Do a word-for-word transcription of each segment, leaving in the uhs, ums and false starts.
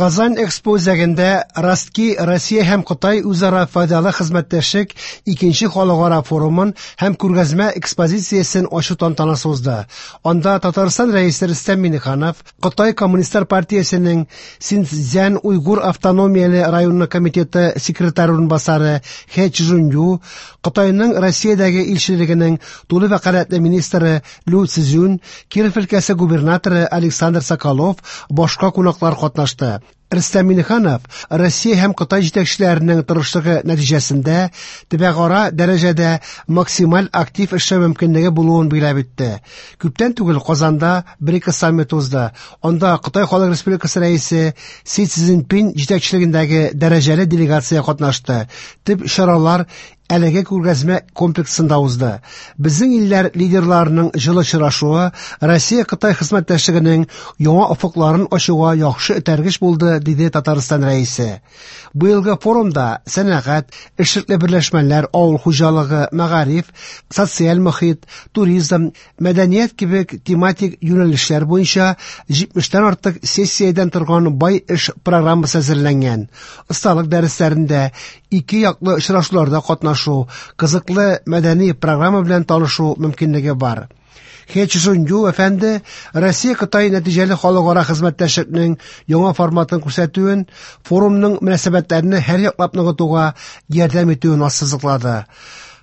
Казан Экспо үзәгендә Ростки Россия һәм Кытай үзара файдалы хезмәттәшлек икенче халыкара форумын һәм күргәзмә экспозициясен ачу тантанасы узды. Анда Татарстан Рәисе Рөстәм Миңнеханов, Кытай Коммунистлар партиясенең Синьцзян-Уйгур автономияле районы комитеты секретаре урынбасары Хэ Чжунью, Кытайның Россиядәге илчелегенең тулы вәкаләтле министры Лю Цзюнь, Киров өлкәсе губернаторы Александр Соколов, башка кунаклар катнашты. Рөстәм Миңнеханов Россия һәм Кытай җитәкчеләренең тырышлыгы нәтиҗәсендә төбәкара дәрәҗәдә максималь актив эшләү мөмкинлеге булуын билгеләп үтте. Күптән түгел Казанда БРИКС саммиты узды. Анда Кытай Халык Республикасы Рәисе Си Цзиньпин җитәкчелегендәге дәрәҗәле делегация катнашты. Төп чаралар әлеге күргәзмә комплексында узды. Безнең илләр лидерларының җылы очрашуы Россия-Кытай хезмәттәшлегенең яңа офыкларын ачуга яхшы этәргеч булды, диде Татарстан Рәисе. Быелгы форумда сәнәгать, эшлекле берләшмәләр, авыл хуҗалыгы, мәгариф, социаль мохит, туризм, мәдәният кебек тематик юнәлешләр буенча җитмештән артык сессиядән торган бай эш программасы әзерләнгән. Осталык дәресләрендә ике яклы очрашуларда катнашу, кызыклы мәдәни программа белән танышу мөмкинлеге бар. Хэ Чжунью әфәнде Россия-Кытай нәтиҗәле халыкара хезмәттәшлекнең яңа форматын күрсәтүен, форумның мөнәсәбәтләрне һәр яклап ныгытуга ярдәм итүен ассызыклады.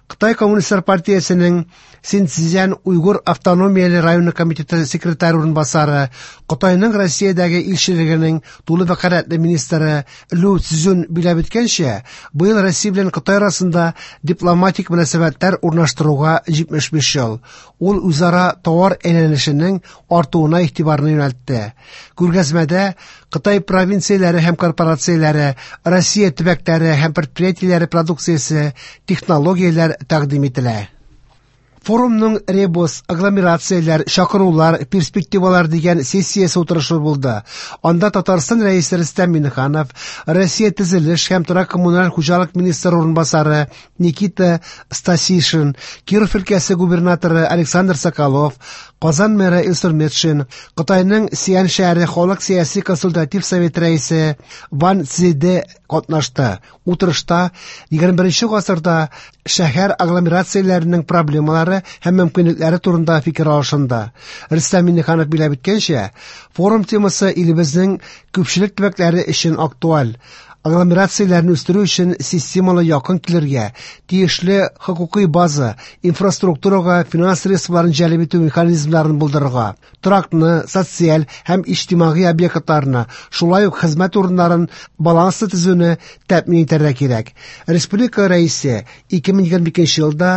Кытай Коммунистлар партиясенең Синьцзян-Уйгур автономияле районы комитеты секретаре урынбасары, Кытайның Россиядәге илчелегенең тулы вәкаләтле министры Лю Цзюнь билгеләп үткәнчә, быел Россия белән Кытай арасында дипломатик мөнәсәбәтләр урнаштыруга җитмеш биш ел. Ул үзара товар әйләнешенең артуына игътибарны юнәлтте. Күргәзмәдә Кытай провинцияләре һәм корпорацияләре, Россия төбәкләре һәм предприятиеләре продукциясе, технологияләр тәкъдим ителә. Форумның ребус, агломерацияләр, чакырулар, перспективалар дигән сессиясе утырышы булды. Анда Татарстан Рәисе Рөстәм Миңнеханов, Россия төзелеш һәм торак коммуналь хуҗалык министры урынбасары Никита Стасишин, Киров өлкәсе губернаторы Александр Соколов, Казан мэры Илсур Метшин, Кытайның Сиан шәһәре халык сәяси консультатив совет рәисе Ван Цзиде катнашты. Утырышта егерме беренче гасырда шәһәр агломерацияләренең проблемалары һәм мөмкинлекләре турында фикер алышынды. Рөстәм Миңнеханов билгеләп үткәнчә, форум темасы илебезнең күпчелек төбәкләре өчен актуаль. Агломерацияләрне үстерү өчен системалы якын килергә, тиешле хокукый база, инфраструктурага финанс средстволарын җәлеп итү механизмнарын булдырырга, торакны, социаль һәм иҗтимагый объектларны, шулай ук хезмәт урыннарын баланслы төзүне тәэмин итәргә кирәк. Республика Рәисе ике мең егерме икенче елда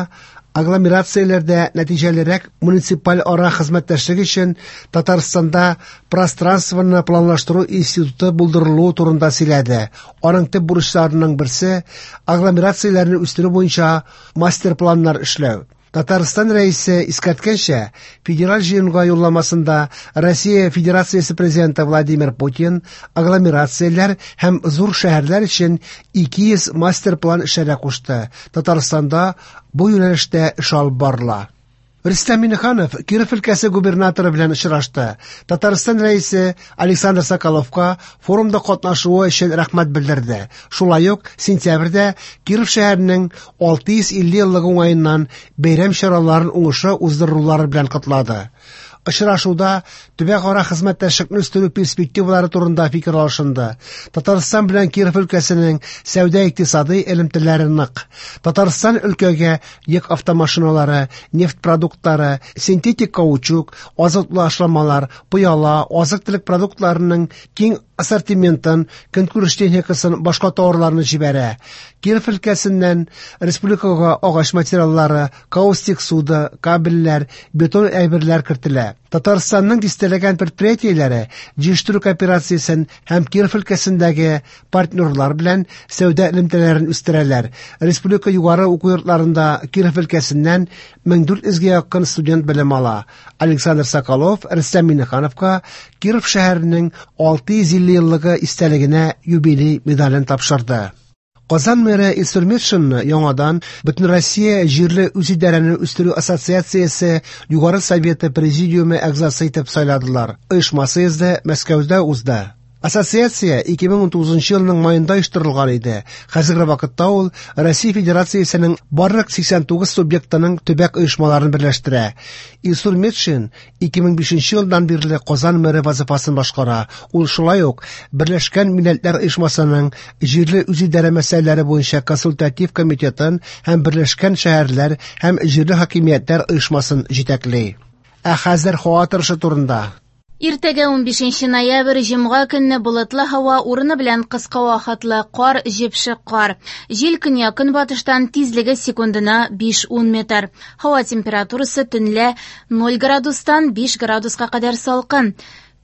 агломерацияләрдә нәтиҗәлерәк муниципаль ара хезмәттәшлек өчен Татарстанда пространствоны планлаштыру институты булдырылуы турында сөйләде. Аның төп бурычларының берсе агломерацияләрне үстерү буенча мастер-планнар эшләү. Татарстан Рәисе искәрткәнчә, федераль җыенга юлламасында Россия Федерациясе Президенты Владимир Путин агломерацияләр һәм зур шәһәрләр өчен ике йөз мастер-план эшләргә кушты. Татарстанда бу юнәлештә эш алып барыла. Рөстәм Миңнеханов Киров өлкәсе губернаторы белән очрашты. Татарстан Рәисе Александр Соколовка форумда катнашуы өчен рәхмәт белдерде. Шулай ук сентябрьдә Киров шәһәренең алты йөз илле еллыгы уңаеннан бәйрәм чараларын уңышлы уздырулары белән котлады. Очрашуда төбәкара хезмәттәшлекне үстерү перспективалары турында фикер алышынды. Татарстан белән Киров өлкәсенең сәүдә-икътисади элемтәләре нык. Татарстан өлкәгә йөк автомашиналары, нефть продуктлары, синтетик каучук, азыклы ашламалар, пыяла, азык-төлек продуктларының киң ассортиментын, көнкүреш техникасын, башка товарларны җибәрә. Киров өлкәсеннән республикага агач материаллары, каустик суда, кабельләр, бетон әйберләр кертелә. Татарстанның дистәләгән предприятиеләре җыештыру кооперациясен һәм Киров өлкәсендәге партнерлар белән сәүдә элемтәләрен үстерәләр. Республика югары уку йортларында Киров өлкәсеннән мең дүрт йөзгә якын студент белем ала. Александр Соколов Рөстәм Миңнехановка Киров шәһәренең алты йөз илле еллыгы истәлегенә юбилей медален тапшырды. Казан мэры Илсур Метшинны яңадан Бөтенроссия җирле үзидарәне үстерү ассоциациясе Югары Советы президиумы әгъзасы итеп сайладылар. Оешма съезды Мәскәүдә узды. Ассоциация ике мең унтугызынчы елның маенда оештырылган иде. Хәзерге вакытта ул Россия Федерациясенең барлык сиксән тугыз субъектының төбәк оешмаларын берләштерә. Илсур Метшин ике мең бишенче елдан бирле Казан мэры вазифасын башкара. Ул шулай ук Берләшкән Милләтләр Оешмасының җирле үзидарә мәсьәләләре буенча консультатив комитетын һәм Берләшкән шәһәрләр һәм җирле хакимиятләр оешмасын җитәкли. Ә хәзер һава торышы турында. Иртәгә унбишенче ноябрь җомга көнне болытлы һава, урыны белән кыска вакытлы кар, җепшек кар. Җил көньяк-көнбатыштан, тизлеге секундына биш-ун метр. Һава температурасы төнлә ноль градустан биш градуска кадәр салкын.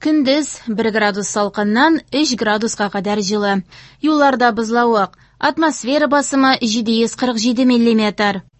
Көндез бер градус салкыннан өч градуска кадәр җылы. Юлларда бозлавык. Атмосфера басымы җиде йөз кырык җиде миллиметр.